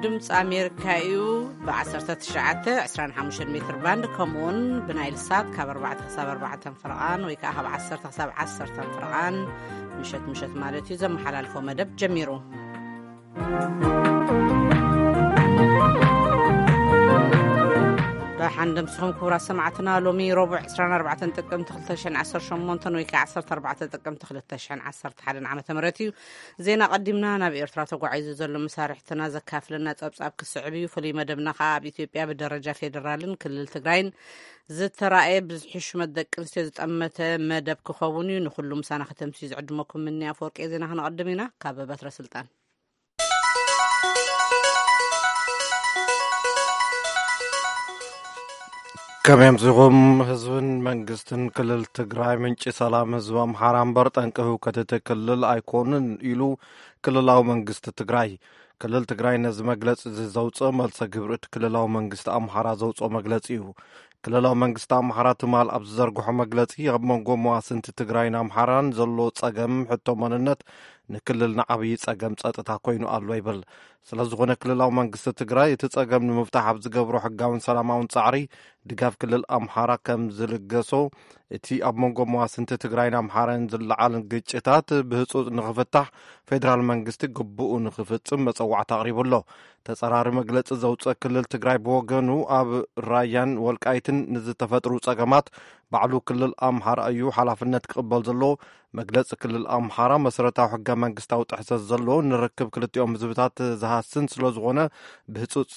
ድምፂ ኣሜሪካ እዩ። ብ19፣ 25 ሜትር ባንድ፣ ከምኡውን ብናይል ሳት ካብ ኣርባዕተ ክሳብ ኣርባዕተ ፍርቓን ወይ ከዓ ካብ ዓሰርተ ክሳብ ዓሰርተ ፍርቓን ምሸት ምሸት ማለት እዩ ዘመሓላልፎ መደብ ጀሚሩ። ደሓን ደምስኹም ክቡራት ሰማዕትና። ሎሚ ረቡዕ ዕስራን ኣርባዕተን ጥቅምቲ ክልተ ሽሕን ዓሰርተ ሸሞንተን ወይ ከዓ ዓሰርተ ኣርባዕተ ጥቅምቲ ክልተ ሽሕን ዓሰርተ ሓደን ዓመተ ምህረት እዩ። ዜና ቀዲምና ናብ ኤርትራ ተጓዒዙ ዘሎ መሳርሕትና ዘካፍለና ጸብጻብ ክስዕብ እዩ። ፍሉይ መደብና ከዓ ኣብ ኢትዮጵያ ብደረጃ ፌዴራልን ክልል ትግራይን ዝተራእየ ብዝሒ ሹመት ደቂ ኣንስትዮ ዝጠመተ መደብ ክኸውን እዩ። ንኹሉ ምሳና ከተምስዩ ዝዕድመኩም ምንያ ኣፈወርቂ። ዜና ክነቐድም ኢና። ካብ በትረ ስልጣን። ከመይ ኣምሲኹም? ህዝብን መንግስትን ክልል ትግራይ ምንጪ ሰላም ህዝቢ ኣምሓራ እምበር ጠንቂ ህውከት እቲ ክልል ኣይኮኑን ኢሉ ክልላዊ መንግስቲ ትግራይ። ክልል ትግራይ ነዚ መግለጺ እዚ ዘውፅኦ መልሰ ግብሪ እቲ ክልላዊ መንግስቲ ኣምሓራ ዘውፅኦ መግለጺ እዩ። ክልላዊ መንግስቲ ኣምሓራ ትማል ኣብ ዝዘርግሖ መግለጺ ኣብ መንጎ መዋስንቲ ትግራይን ኣምሓራን ዘሎ ጸገም ሕቶ መንነት ንክልልና ዓብዪ ጸገም ጸጥታ ኮይኑ ኣሎ ይብል። ስለ ዝኾነ ክልላዊ መንግስቲ ትግራይ እቲ ጸገም ንምፍታሕ ኣብ ዝገብሮ ሕጋውን ሰላማውን ጻዕሪ ድጋፍ ክልል ኣምሓራ ከም ዝልገሶ፣ እቲ ኣብ መንጎ መዋስንቲ ትግራይን ኣምሓራን ዝለዓል ግጭታት ብህጹጽ ንኽፍታሕ ፌዴራል መንግስቲ ግቡኡ ንኽፍጽም መጸዋዕታ ኣቕሪቡ ኣሎ። ተጸራሪ መግለጺ ዘውጽአ ክልል ትግራይ ብወገኑ ኣብ ራያን ወልቃይትን ንዝተፈጥሩ ጸገማት ባዕሉ ክልል ኣምሓራ እዩ ሓላፍነት ክቕበል ዘለዎ። መግለጺ ክልል ኣምሓራ መሰረታዊ ሕገ መንግስታዊ ጥሕሰት ዘለዎ ንርክብ ክልቲኦም ህዝብታት ዝሃስን ስለ ዝኾነ ብህጹጽ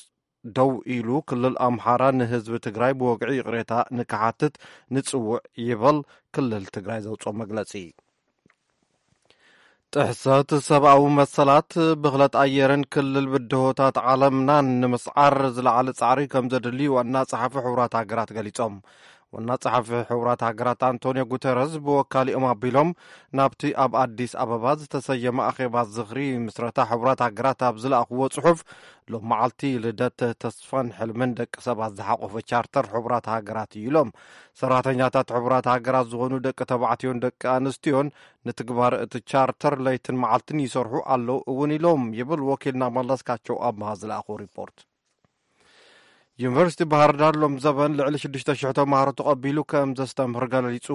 ደው ኢሉ ክልል ኣምሓራ ንህዝቢ ትግራይ ብወግዒ ይቕሬታ ንክሓትት ንጽውዕ ይበል ክልል ትግራይ ዘውፅኦ መግለጺ። ጥሕሰት ሰብኣዊ መሰላት፣ ብኽለት ኣየርን ክልል ብድሆታት ዓለምናን ንምስዓር ዝለዓለ ጻዕሪ ከም ዘድሊ ዋና ጸሓፊ ሕቡራት ሃገራት ገሊጾም። ዋና ጸሓፊ ሕቡራት ሃገራት ኣንቶኒዮ ጉተረዝ ብወካሊኦም ኣቢሎም ናብቲ ኣብ ኣዲስ ኣበባ ዝተሰየመ ኣኼባ ዝኽሪ ምስረታ ሕቡራት ሃገራት ኣብ ዝለኣኽዎ ጽሑፍ፣ ሎም መዓልቲ ልደት ተስፋን ሕልምን ደቂ ሰባት ዝሓቆፈ ቻርተር ሕቡራት ሃገራት እዩ ኢሎም። ሰራሕተኛታት ሕቡራት ሃገራት ዝኾኑ ደቂ ተባዕትዮን ደቂ ኣንስትዮን ንትግባር እቲ ቻርተር ለይትን መዓልትን ይሰርሑ ኣለዉ እውን ኢሎም ይብል ወኪልና መለስካቸው ኣምሃ ዝለኣኾ ሪፖርት። ዩኒቨርሲቲ ባህር ዳር ሎም ዘበን ልዕሊ ሽዱሽተ ሽሕ ተምሃሮ ተቐቢሉ ከም ዘስተምህር ገሊጹ።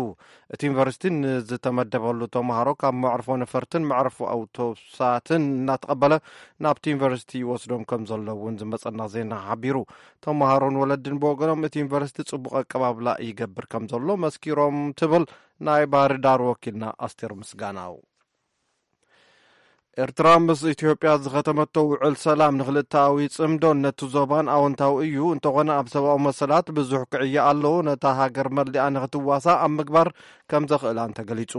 እቲ ዩኒቨርሲቲ ንዝተመደበሉ ተምሃሮ ካብ መዕርፎ ነፈርትን መዕርፎ ኣውቶቡሳትን እናተቐበለ ናብቲ ዩኒቨርሲቲ ይወስዶም ከም ዘሎ እውን ዝመጸና ዜና ሓቢሩ። ተምሃሮን ወለድን ብወገኖም እቲ ዩኒቨርሲቲ ጽቡቕ ኣቀባብላ ይገብር ከም ዘሎ መስኪሮም ትብል ናይ ባህር ዳር ወኪልና ኣስቴር ምስጋናው። ኤርትራ ምስ ኢትዮጵያ ዝኸተመቶ ውዕል ሰላም ንክልተኣዊ ጽምዶን ነቲ ዞባን ኣወንታዊ እዩ። እንተኾነ ኣብ ሰብኣዊ መሰላት ብዙሕ ክዕየ ኣለዎ። ነታ ሃገር መሊኣ ንክትዋሳእ ኣብ ምግባር ከም ዘኽእላን ተገሊጹ።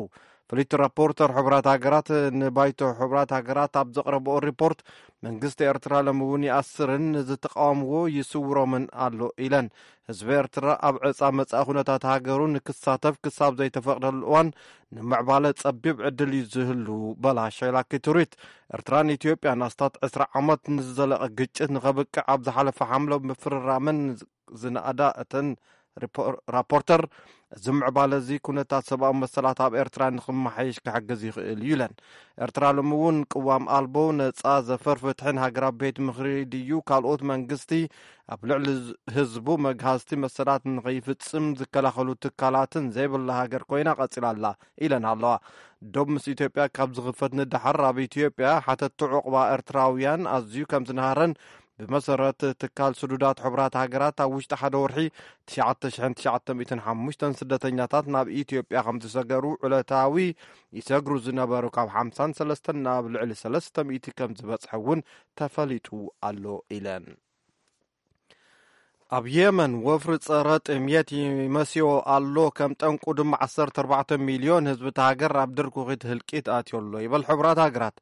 ፍልይቲ ራፖርተር ሕቡራት ሃገራት ንባይቶ ሕቡራት ሃገራት ኣብ ዘቕረብኦ ሪፖርት፣ መንግስቲ ኤርትራ ሎሚ እውን ይኣስርን ንዝተቃወምዎ ይስውሮምን ኣሎ ኢለን። ህዝቢ ኤርትራ ኣብ ዕጻ መጻኢ ኩነታት ሃገሩ ንክሳተፍ ክሳብ ዘይተፈቕደሉ እዋን ንምዕባለ ጸቢብ ዕድል እዩ ዝህሉ በላ ሸይላ ኪቱሪት። ኤርትራን ኢትዮጵያን ኣስታት ዕስራ ዓመት ንዝዘለቐ ግጭት ንኸብቅዕ ኣብ ዝሓለፈ ሓምለ ምፍርራመን ዝነኣዳ እተን ሪፖር-፣ ራፖርተር፣ እዚ ምዕባለ እዚ ኩነታት ሰብኣዊ መሰላት ኣብ ኤርትራ ንክመሓየሽ ክሕግዝ ይኽእል እዩ ኢለን። ኤርትራ ሎሚ እውን ቅዋም ኣልቦ፣ ነጻ ዘፈር ፍትሕን ሃገራዊ ቤት ምኽሪ ድዩ ካልኦት መንግስቲ ኣብ ልዕሊ ህዝቡ መግሃዝቲ መሰላት ንኸይፍጽም ዝከላኸሉ ትካላትን ዘይብላ ሃገር ኮይና ቀጺላ ኣላ ኢለን ኣለዋ። ዶብ ምስ ኢትዮጵያ ካብ ዝኽፈት ንደሓር ኣብ ኢትዮጵያ ሓተቲ ዑቕባ ኤርትራውያን ኣዝዩ ከም ዝነሃረን ብመሰረት ትካል ስዱዳት ሕቡራት ሃገራት ኣብ ውሽጢ ሓደ ወርሒ ትሽዓተ ሽሕን ትሽዓተ ሚእትን ሓሙሽተን ስደተኛታት ናብ ኢትዮጵያ ከም ዝሰገሩ ዕለታዊ ይሰግሩ ዝነበሩ ካብ ሓምሳን ሰለስተን ናብ ልዕሊ ሰለስተ ሚእቲ ከም ዝበጽሐ እውን ተፈሊጡ ኣሎ ኢለን። ኣብ የመን ወፍሪ ጸረ ጥምየት ይመስዮ ኣሎ፣ ከም ጠንቁ ድማ ዓሰርተ ኣርባዕተ ሚልዮን ህዝቢ እታ ሃገር ኣብ ድርኩኺት ህልቂት ኣትዮ ኣሎ ይበል ሕቡራት ሃገራት።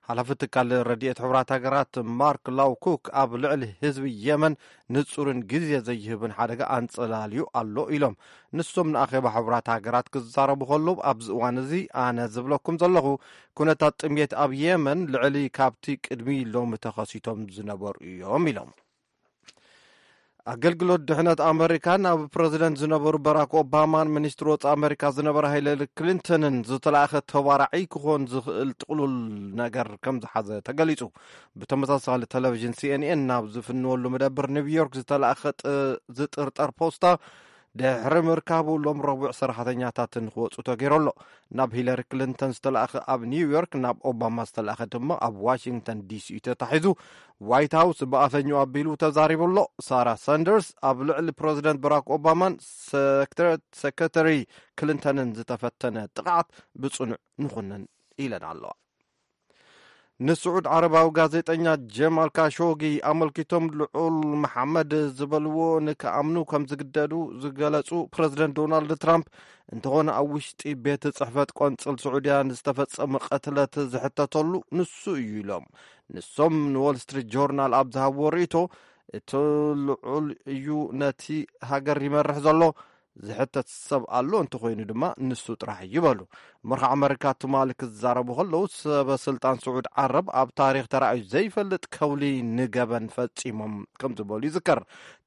ሓላፊ ትካል ረድኤት ሕቡራት ሃገራት ማርክ ላውኩክ ኣብ ልዕሊ ህዝቢ የመን ንጹርን ግዜ ዘይህብን ሓደጋ ኣንጸላልዩ ኣሎ ኢሎም። ንሶም ንኣኼባ ሕቡራት ሃገራት ክዛረቡ ከለዉ፣ ኣብዚ እዋን እዚ ኣነ ዝብለኩም ዘለኹ ኩነታት ጥምየት ኣብ የመን ልዕሊ ካብቲ ቅድሚ ሎሚ ተኸሲቶም ዝነበሩ እዮም ኢሎም። ኣገልግሎት ድሕነት ኣመሪካ ናብ ፕረዚደንት ዝነበሩ ባራክ ኦባማን ሚኒስትር ወጻኢ ኣመሪካ ዝነበረ ሃይለሪ ክሊንተንን ዝተላእኸ ተባራዒ ክኾን ዝኽእል ጥቕሉል ነገር ከም ዝሓዘ ተገሊጹ። ብተመሳሳሊ፣ ቴሌቪዥን ሲኤንኤን ናብ ዝፍንወሉ መደብር ኒውዮርክ ዝተላእኸ ጥ-፣ ዝጥርጠር ፖስታ ድሕሪ ምርካቡ፣ ሎም ረቡዕ ሰራሕተኛታትን ክወጹ ተገይሩ ኣሎ። ናብ ሂለሪ ክሊንተን ዝተላእኸ ኣብ ኒውዮርክ፣ ናብ ኦባማ ዝተላእኸ ድማ ኣብ ዋሽንግተን ዲሲ እዩ ተታሒዙ። ዋይት ሃውስ ብኣፈኛው ኣቢሉ ተዛሪቡ ኣሎ። ሳራ ሳንደርስ ኣብ ልዕሊ ፕረዚደንት ባራክ ኦባማን ሰክረ-፣ ሰክረተሪ ክሊንተንን ዝተፈተነ ጥቕዓት ብጽኑዕ ንኹንን ኢለን ኣለዋ። ንስዑድ ዓረባዊ ጋዜጠኛ ጀማል ካሾጊ ኣመልኪቶም፣ ልዑል መሓመድ ዝበልዎ ንክኣምኑ ከም ዝግደዱ ዝገለጹ ፕረዚደንት ዶናልድ ትራምፕ፣ እንተኾነ ኣብ ውሽጢ ቤት ጽሕፈት ቆንጽል ስዑድያ ንዝተፈጸመ ቅትለት ዝሕተተሉ ንሱ እዩ ኢሎም። ንሶም ንዎል ስትሪት ጆርናል ኣብ ዝሃብዎ ርእይቶ፣ እቲ ልዑል እዩ ነቲ ሃገር ይመርሕ ዘሎ፣ ዝሕተት ሰብ ኣሎ እንተኾይኑ ድማ ንሱ ጥራሕ እዩ በሉ። መርሒ ኣመሪካ ትማሊ ክዛረቡ ከለዉ፣ ሰበ ስልጣን ስዑድ ዓረብ ኣብ ታሪኽ ተራእዩ ዘይፈልጥ ከውሊ ንገበን ፈጺሞም ከም ዝበሉ ይዝከር።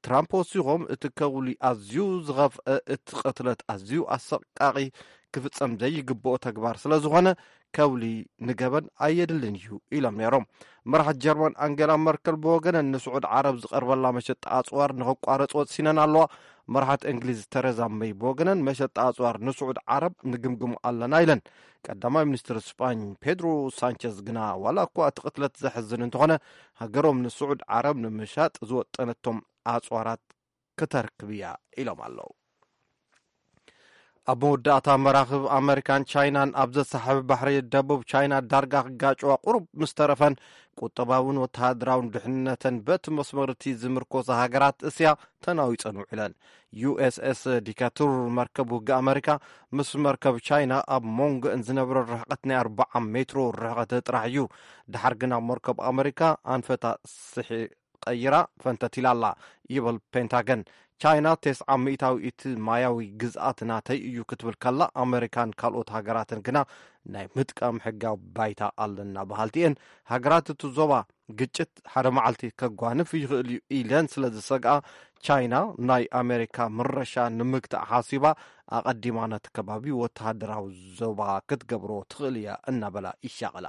ትራምፕ ወሲኾም፣ እቲ ከውሊ ኣዝዩ ዝኸፍአ፣ እቲ ቅትለት ኣዝዩ ኣሰቃቂ፣ ክፍጸም ዘይግብኦ ተግባር ስለ ዝኾነ፣ ከውሊ ንገበን ኣየድልን እዩ ኢሎም ነይሮም። መራሕት ጀርመን ኣንጌላ መርከል ብወገነን፣ ንስዑድ ዓረብ ዝቐርበላ መሸጣ ኣጽዋር ንኸቋረጽ ወሲነን ኣለዋ። መራሕት እንግሊዝ ተረዛ መይ ብወገነን፣ መሸጣ ኣጽዋር ንስዑድ ዓረብ ንግምግሙ ኣለና ኢለን። ቀዳማይ ሚኒስትር ስጳኝ ፔድሮ ሳንቸዝ ግና፣ ዋላ እኳ እቲ ቅትለት ዘሕዝን እንተኾነ፣ ሃገሮም ንስዑድ ዓረብ ንምሻጥ ዝወጠነቶም ኣጽዋራት ክተርክብ እያ ኢሎም ኣለዉ። ኣብ መወዳእታ፣ መራኽብ ኣመሪካን ቻይናን ኣብ ዘሳሕብ ባሕሪ ደቡብ ቻይና ዳርጋ ክጋጨዋ ቁሩብ ምስ ተረፈን፣ ቁጠባውን ወተሃደራውን ድሕነተን በቲ መስመር እቲ ዝምርኮሳ ሃገራት እስያ ተናዊጸን ውዒለን። ዩ ኤስ ኤስ ዲካቱር፣ መርከብ ውግእ ኣመሪካ፣ ምስ መርከብ ቻይና ኣብ መንጎአን ዝነበረ ርሕቀት ናይ ኣርብዓ ሜትሮ ርሕቀት ጥራሕ እዩ። ድሓር ግና መርከብ ኣመሪካ ኣንፈታ ስሒ ቀይራ ፈንተት ኢላ ኣላ፣ ይብል ፔንታገን። ቻይና፣ "ተስዓ ሚእታዊ እቲ ማያዊ ግዝኣት ናተይ እዩ" ክትብል ከላ፣ ኣመሪካን ካልኦት ሃገራትን ግና ናይ ምጥቃም ሕጋዊ ባይታ ኣለና በሃልቲ እየን። ሃገራት እቲ ዞባ፣ ግጭት ሓደ መዓልቲ ከጓንፍ ይኽእል እዩ ኢለን ስለ ዝሰግኣ፣ ቻይና ናይ ኣመሪካ ምረሻ ንምግታእ ሓሲባ፣ ኣቐዲማ ነቲ ከባቢ ወተሃደራዊ ዞባ ክትገብሮ ትኽእል እያ እናበላ ይሻቐላ።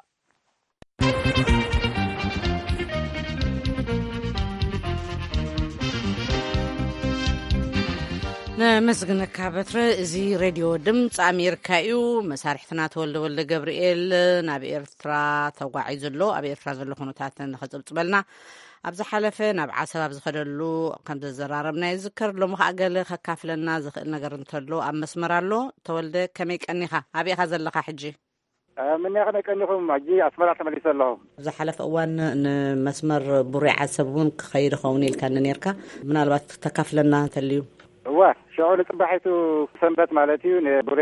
ነመስግነካ በትረ። እዚ ሬድዮ ድምፂ ኣሜሪካ እዩ። መሳርሕትና ተወልደ ወልደ ገብርኤል ናብ ኤርትራ ተጓዒዙ ኣሎ። ኣብ ኤርትራ ዘሎ ኩነታት ንኸፅብፅበልና፣ ኣብ ዝሓለፈ ናብ ዓሰብ ኣብ ዝኸደሉ ከም ዘዘራረብና ይዝከር። ሎሚ ከዓ ገለ ከካፍለና ዝኽእል ነገር እንተሎ ኣብ መስመር ኣሎ። ተወልደ፣ ከመይ ቀኒኻ? ኣበይ ኢኻ ዘለኻ ሕጂ? እ፣ ምንያ ከመይ ቀኒኹም? ሕጂ ኣስመራ ተመሊሰ ኣለኹ። ኣብ ዝሓለፈ እዋን ንመስመር ቡሬ ዓሰብ እውን ክኸይድ ኸውን ኢልካኒ ነርካ። ምናልባት ክተካፍለና እንተልዩ? እወ፣ ሽዑ ንጽባሒቱ ሰንበት ማለት እዩ፣ ንቡሬ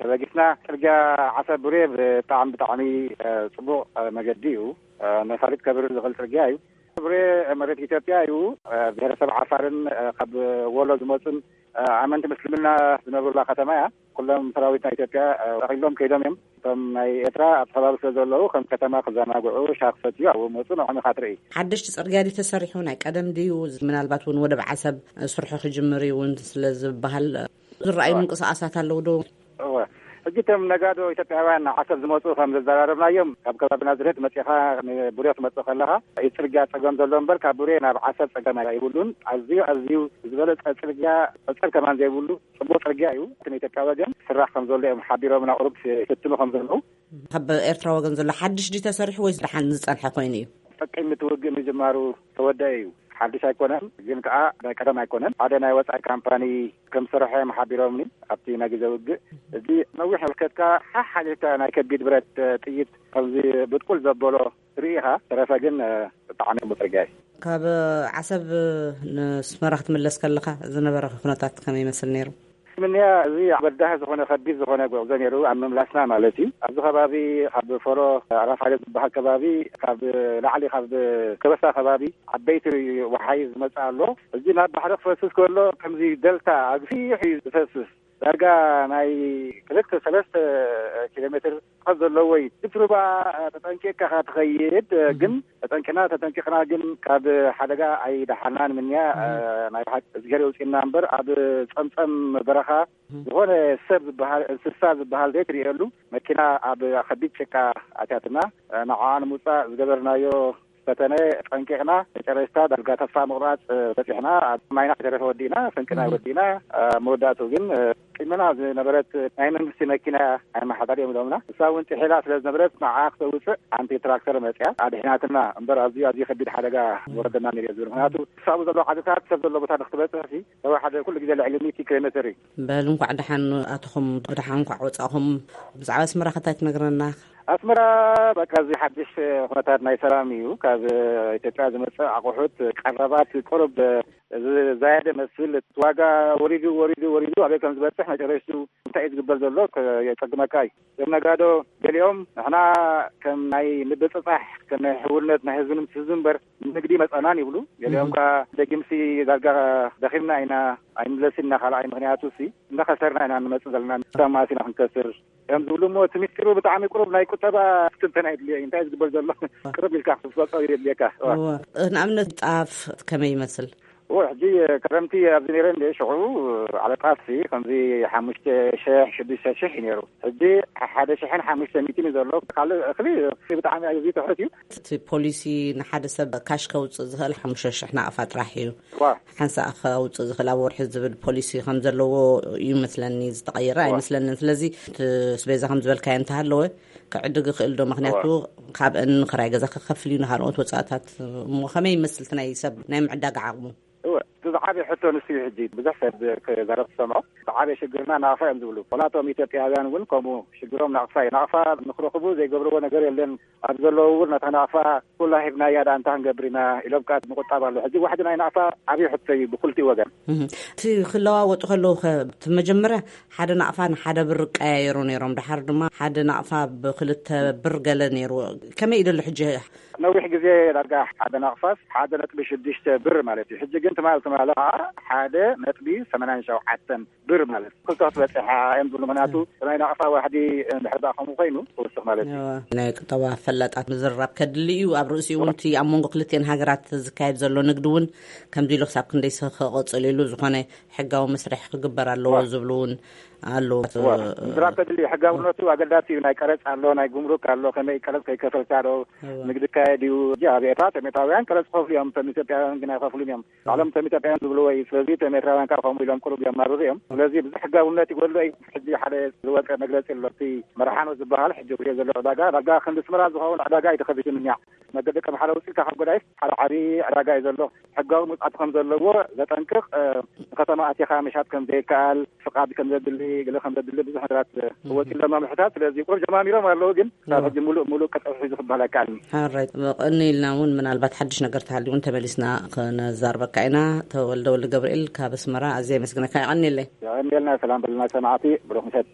ተበጊስና። ጽርግያ ዓሰብ ቡሬ ብጣዕሚ፣ ብጣዕሚ፣ እ፣ ጽቡቕ፣ እ፣ መገዲ እዩ። እ፣ ነፋሪት ከብርር ዝኽእል ጽርግያ እዩ። ቡሬ መሬት ኢትዮጵያ እዩ። እ፣ ብሄረሰብ ዓፋርን፣ እ፣ ካብ ወሎ ዝመጹን፣ እ፣ ኣመንቲ ምስልምና ዝነብሩላ ከተማ እያ። ኩሎም ሰራዊት ናይ ኢትዮጵያ፣ እ፣ ጠቕሊሎም ከይዶም እዮም። እቶም ናይ ኤርትራ ኣብቲ ከባቢ ስለ ዘለዉ፣ ከም ከተማ ክዘናግዑ፣ ሻሂ ክሰትዩ ኣብኡ መጹ፣ ንዖም ኢኻ ትርኢ። ሓደሽቲ ጽርግያ ድዩ ተሰሪሑ? ናይ ቀደም ድዩ? ምናልባት እውን ወደብ ዓሰብ ስርሑ ክጅምር እዩ እውን ስለ ዝበሃል፣ ዝረኣዩ ምንቅስቓሳት ኣለዉ ዶ? እወ። ሕጂ እቶም ነጋዶ ኢትዮጵያውያን ዓሰብ ዝመጹ ከም ዘዘራረብናዮም፣ ካብ ከባቢ ናዝሬት መጺኻ ንቡሬ ክትመጽእ ከለኻ፣ እዩ ጽርግያ ጸገም ዘሎ እምበር፣ ካብ ቡሬ ናብ ዓሰብ ጸገም ኣይብሉን። ኣዝዩ፣ ኣዝዩ ዝበለጸ ጽርግያ፣ ጸጸር ከማን ዘይብሉ ጽቡቕ ጽርግያ እዩ። እቲ ንኢትዮጵያ ወገን ስራሕ ከም ዘሎ እዮም ሓቢሮምና፣ ቁሩብ ይፍትኑ ከም ዘለዉ። ካብ ኤርትራ ወገን ዘሎ ሓድሽ ድዩ ተሰሪሑ ወይስ ደሓን ዝጸንሐ ኮይኑ እዩ? ቅድሚ እቲ ውግእ ምጅማሩ ተወደአ እዩ። ሓድሽ ኣይኮነን፣ ግን ከኣ ናይ ቀደም ኣይኮነን። ሓደ ናይ ወጻኢ ካምፓኒ ከም ዝሰርሐ እዮም ሓቢሮምኒ ኣብቲ ናይ ግዜ ውግእ። እዚ ነዊሕ መልከትካ ሓሕ ሓሊፍካ ናይ ከቢድ ብረት ጥይት ከምዚ ብጥቁል ዘበሎ ትርኢ ኢኻ። ተረፈ ግን፣ እ፣ ብጣዕሚ ጽቡቕ ጽርግያ እዩ። ካብ ዓሰብ ንስመራ ክትምለስ ከለኻ ዝነበረ ኩነታት ከመይ ይመስል ነይሩ? ምንያ፣ እዚ በዳሂ ዝኾነ ከቢድ ዝኾነ ጉዕዞ ነይሩ፣ ኣብ ምምላስና ማለት እዩ። ኣብዚ ከባቢ፣ ኣብ ፎሮ ኣራፋሪ ዝበሃል ከባቢ፣ ካብ ላዕሊ፣ ካብ ከበሳ ከባቢ ዓበይቲ ወሓይዝ ዝመጽእ ኣሎ። እዚ ናብ ባሕሪ ክፈስስ ከሎ፣ ከምዚ ደልታ ኣግፊሕ እዩ ዝፈስስ። ዳርጋ ናይ ክልተ ሰለስተ ኪሎ ሜትር ርሕቀት ዘለዎ እዩ። እቲ ሩባ ተጠንቂቕካ ትኸይድ፣ ግን ተጠንቂቕና ተጠንቂቕና ግን ካብ ሓደጋ ኣይደሓናን ምንያ። ናይ ብሓቂ እግዚኣብሔር የውፅእና እምበር ኣብ ፀምፀም በረኻ ዝኾነ ሰብ ዝበሃል እንስሳ ዝበሃል ዘይትርእየሉ መኪና ኣብ ከቢድ ጭቃ ኣትያትና። ንዓ ንምውፃእ ዝገበርናዮ ፈተነ ጠንቂቕና መጨረሽታ ዳርጋ ተስፋ ምቑራፅ በፂሕና። ኣብ ማይና ተረፈ ወዲእና፣ ስንቅና ወዲእና። መወዳእቱ ግን ቅድመና ዝነበረት ናይ መንግስቲ መኪና ኣመሓዳሪ እዮም ኢሎምና። እሳ እውን ጥሒላ ስለ ዝነበረት ንዓ ክተውፅእ ሓንቲ ትራክተር መፅያ ኣድሒናትና እምበር ኣዝዩ ኣዝዩ ከቢድ ሓደጋ ወረደና ነይሩ ዝብል። ምክንያቱ ክሳቡ ዘሎ ዓድታት ሰብ ዘሎ ቦታ ንክትበፅሕ ሲ ተወሓደ ኩሉ ግዜ ልዕሊ ሚእቲ ኪሎ ሜትር እዩ። በል እንኳዕ ደሓን ኣተኹም፣ ደሓን እንኳዕ ወፃእኹም። ብዛዕባ ኣስመራ ከታይ ትነግረና? ኣስመራ በቃ እዚ ሓድሽ ኩነታት ናይ ሰላም እዩ። ካብ ኢትዮጵያ ዝመፅእ ኣቑሑት ቀረባት ቁሩብ ዝዛየደ መስል፣ ዋጋ ወሪዱ ወሪዱ ወሪዱ ኣበይ ከም ዝበፅሕ መጨረሽቱ እንታይ እዩ ዝግበር ዘሎ የፀግመካ እዩ። እዞም ነጋዶ ገሊኦም ንሕና ከም ናይ ምብፅፃሕ ከም ናይ ሕውነት ናይ ህዝቢ ንምትሕዝ እምበር ንግዲ መፀናን ይብሉ። ገሊኦም ከዓ ደጊምሲ ዳርጋ ደኺምና ኢና ኣይንምለስን ኢና ካልኣይ ምክንያቱ ሲ እንዳኸሰርና ኢና ንመፅእ ዘለና። ታማሲና ክንከስር እዮም ዝብሉ እሞ እቲ ሚስጢሩ ብጣዕሚ ቁሩብ ናይ ቁጠባ ክትንተን ኣይድልዮ እዩ። እንታይ ዝግበር ዘሎ ቅርብ ኢልካ ክትፈልጦ የድልየካ። ንኣብነት ጣፍ ከመይ ይመስል? ሕጂ ከረምቲ ኣብዚ ነይረ እንደ ሽዑ ዓለ ጣፍሲ ከምዚ ሓሙሽተ ሽሕ ሽዱሽተ ሽሕ እዩ ነይሩ። ሕጂ ሓደ ሽሕን ሓሙሽተ ሚእትን እዩ ዘሎ። ካልእ እኽሊ ብጣዕሚ ኣዝዩ ትሑት እዩ። እቲ ፖሊሲ ንሓደ ሰብ ካሽ ከውፅእ ዝኽእል ሓሙሽተ ሽሕ ናቕፋ ጥራሕ እዩ። ሓንሳእ ከውፅእ ዝኽእል ኣብ ወርሒ ዝብል ፖሊሲ ከም ዘለዎ እዩ መስለኒ። ዝተቐየረ ኣይመስለንን። ስለዚ እቲ ስቤዛ ከም ዝበልካዮ እንተሃለወ ክዕድግ ይኽእል ዶ? ምክንያቱ ካብአን ክራይ ገዛ ክከፍል እዩ፣ ንካልኦት ወፃእታት። እሞ ከመይ ይመስል እቲ ናይ ሰብ ናይ ምዕዳግ ዓቕሙ? እወ፣ እቲ ዝዓበየ ሕቶ ንሱ እዩ። ሕጂ ብዙሕ ሰብ ክዛረብ ትሰምዖ። ዝዓበየ ሽግርና ናቕፋ እዮም ዝብሉ። ኮላቶም ኢትዮጵያውያን እውን ከምኡ ሽግሮም ናቕፋ እዩ። ናቕፋ ንክረኽቡ ዘይገብርዎ ነገር የለን። ኣብ ዘለዎ እውን ነታ ናቕፋ ኩላ ሂብናያ ዳ እንታይ ክንገብር ኢና ኢሎም ቃ ምቁጣብ ኣሎ። ሕጂ ዋሕዲ ናይ ናቕፋ ዓብዪ ሕቶ እዩ ብክልቲኡ ወገን። እቲ ክለዋወጡ ከለዉ ከ እቲ መጀመርያ ሓደ ናቕፋ ንሓደ ብር ይቀያየሩ ነይሮም። ድሓር ድማ ሓደ ናቕፋ ብክልተ ብር ገለ ነይሩ። ከመይ እዩ ዘሎ ሕጂ? ነዊሕ ግዜ ዳርጋ ሓደ ናቕፋስ ሓደ ነጥቢ ሽዱሽተ ብር ማለት እዩ። ሕጂ ግን ትማል ትማል ከዓ ሓደ ነጥቢ ሰማንያን ሸውዓተን ብር ማለት ክልተ ክትበፅሕ እዮም ዝብሉ። ምክንያቱ ናይ ናቕፋ ዋሕዲ እንድሕር ደኣ ከምኡ ኮይኑ ክውስኽ ማለት እዩ። ናይ ቁጠባ ፈላጣት ምዝርራብ ከድሊ እዩ። ኣብ ርእሲኡ እውን እቲ ኣብ መንጎ ክልቲኤን ሃገራት ዝካየድ ዘሎ ንግዲ እውን ከምዚ ኢሉ ክሳብ ክንደይ ክቐፅል ኢሉ ዝኾነ ሕጋዊ መስርሕ ክግበር ኣለዎ ዝብሉ እውን ኣለዉ። ምዝራብ ከድሊ እዩ። ሕጋውነቱ ኣገዳሲ እዩ። ናይ ቀረፅ ኣሎ፣ ናይ ጉምሩክ ኣሎ፣ ከመይ ቀረፅ ከይከፈልካ ዶ ንግዲ ይካየድ እዩ። ኣብ ኤርትራ ተሜታውያን ቀረፅ ክኸፍሉ እዮም፣ እቶም ኢትዮጵያውያን ግን ኣይኸፍሉን እዮም። ባዕሎም እቶም ኢትዮጵያውያን ዝብልዎ እዩ። ስለዚ እቶም ኤርትራውያን ከዓ ከምኡ ኢሎም ቁሩብ የማርሩ እዮም። ስለዚ ብዙሕ ሕጋውነት ይጎድሎ እዩ። ሕጂ ሓደ ዝወፀ መግለፂ ኣሎ። እቲ መርሓኖ ዝበሃል ሕጂ ክሪኦ ዘሎ ዕዳጋ ዳርጋ ክንዲ ኣስመራ ዝኸውን ዕዳጋ እዩ ተኸፊቱ እኒኣ። መገዲ ከም ሓደ ውፅኢት ካብ ጎዳይፍ ሓደ ዓብዪ ዕዳጋ እዩ ዘሎ። ሕጋዊ መውፃእቲ ከም ዘለዎ ዘጠንቅቕ፣ ንከተማ ኣቲኻ ምሻጥ ከም ዘይከኣል፣ ፍቓድ ከም ዘድሊ፣ ገለ ከም ዘድሊ ብዙሕ ነገራት ወፂኡ ኣሎ መምርሕታት። ስለዚ ቁሩብ ጀማሚሮም ኣለዉ፣ ግን ካብ ሕጂ ሙሉእ ሙሉእ ቀጠፍ ሒዙ ክበሃል ኣይከኣልን። ሓራይ ቀኒ ኢልና እውን ምናልባት ሓድሽ ነገር ተሃልዩ እውን ተመሊስና ክነዛርበካ ኢና። ተወልደ ወልደ ገብርኤል ካብ ኣስመራ ኣዝየ የመስግነካ። ይቐኒለይ። የቐንየልና። ሰላም በልና ሰማዕቲ። ብሩኽ ምሸት።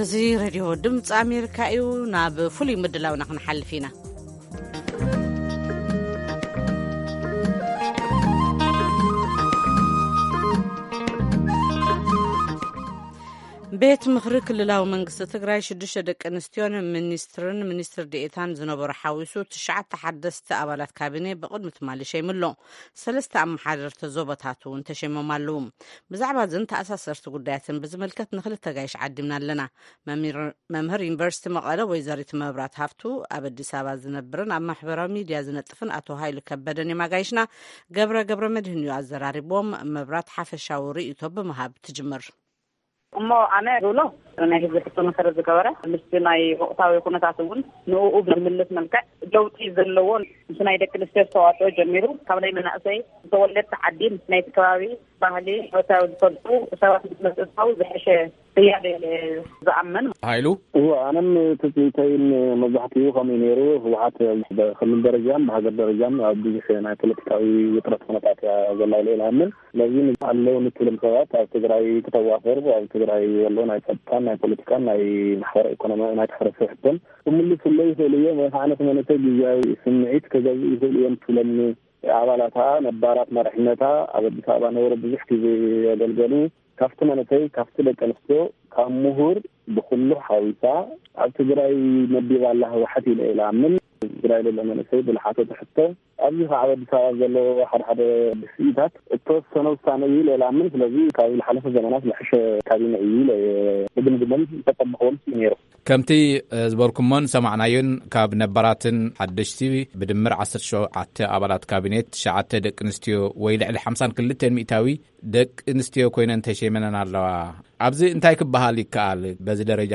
እዚ ሬድዮ ድምፂ ኣሜሪካ እዩ። ናብ ፍሉይ ምድላውና ክንሓልፍ ኢና። ቤት ምኽሪ ክልላዊ መንግስቲ ትግራይ ሽዱሽተ ደቂ ኣንስትዮን ሚኒስትርን ሚኒስትር ዴኤታን ዝነበሩ ሓዊሱ ትሽዓተ ሓደስቲ ኣባላት ካቢኔ ብቕድሚ ትማሊ ሸይምሎ። ሰለስተ ኣመሓደርቲ ዞባታት እውን ተሸይሞም ኣለዉ። ብዛዕባ እዝን ተኣሳሰርቲ ጉዳያትን ብዝምልከት ንክልተ ጋይሽ ዓዲምና ኣለና። መምህር ዩኒቨርሲቲ መቐለ ወይዘሪት መብራት ሃፍቱ፣ ኣብ ኣዲስ ኣበባ ዝነብርን ኣብ ማሕበራዊ ሚድያ ዝነጥፍን ኣቶ ሃይሉ ከበደን እዮም ኣጋይሽና። ገብረ ገብረ መድህን እዩ ኣዘራሪቦም። መብራት ሓፈሻዊ ርእይቶ ብምሃብ ትጅምር። እሞ ኣነ ዝብሎ ናይ ህዝቢ ሕቶ መሰረት ዝገበረ ምስቲ ናይ ወቕታዊ ኩነታት እውን ንኡ ብዝምልስ መልክዕ ለውጢ ዘለዎ ምስ ናይ ደቂ ኣንስትዮ ዝተዋፅኦ ጀሚሩ ካብ ናይ መናእሰይ ዝተወለድቲ ዓዲ ምስ ናይቲ ከባቢ ባህሊ ወታዊ ዝፈልጡ ሰባት ምስ መፅእታው ዝሐሸ ህያብ እየ ዝኣምን። ሃይሉ? እዎ፣ ኣነም ትፅቢተይን መብዛሕትኡ ከምኡ ነይሩ። ህወሓት ብክልል ደረጃን ብሃገር ደረጃን ኣብ ብዙሕ ናይ ፖለቲካዊ ውጥረት ኩነታት እያ ዘላ ኢለ ይኣምን። ስለዚ ኣለዉ ንትብሎም ሰባት ኣብ ትግራይ ክተዋፈሩ፣ ኣብ ትግራይ ዘሎ ናይ ጸጥታን ናይ ፖለቲካን ናይ ማሕበረ ኢኮኖሚያዊ ናይ ትሕረሰ ሕቶን ክምልስለይ ይኽእሉ እዮም። ወይ ከዓ ነቲ መንእሰይ ግዜያዊ ስምዒት ክገዝኡ ይኽእሉ እዮም ትብሎም ኣባላታ፣ ነባራት መራሕነታ፣ ኣብ ኣዲስ ኣበባ ነበሩ፣ ብዙሕ ግዜ የገልገሉ። ካብቲ መንእሰይ፣ ካብቲ ደቂ ኣንስትዮ፣ ካብ ምሁር፣ ብኩሉ ሓዊሳ ኣብ ትግራይ መዲባ ኣላ ህወሓት ኢለ ኢለ ኣምን። ትግራይ ዘሎ መንእሰይ ብልሓቶ ትሕቶ ኣብዚ ከዓ ኣብ ኣዲስ ኣበባ ዘሎ ሓደ ሓደ ስኢታት እተወሰነ ውሳነ እዩ ኢለ ኢለ ኣምን። ስለዚ ካብ ዝሓለፈ ዘመናት ዝሕሸ ካቢነ እዩ ኢለ እየ ዝግምግሞን ዝተጠበኽዎን እዩ ነይሩ። ከምቲ ዝበርኩሞን ሰማዕናዮን ካብ ነባራትን ሓደሽቲ ብድምር ዓሰርተ ሸውዓተ ኣባላት ካቢኔት፣ ትሽዓተ ደቂ ኣንስትዮ ወይ ልዕሊ ሓምሳን ክልተን ሚእታዊ ደቂ ኣንስትዮ ኮይነን ተሸይመነን ኣለዋ። ኣብዚ እንታይ ክበሃል ይከኣል? በዚ ደረጃ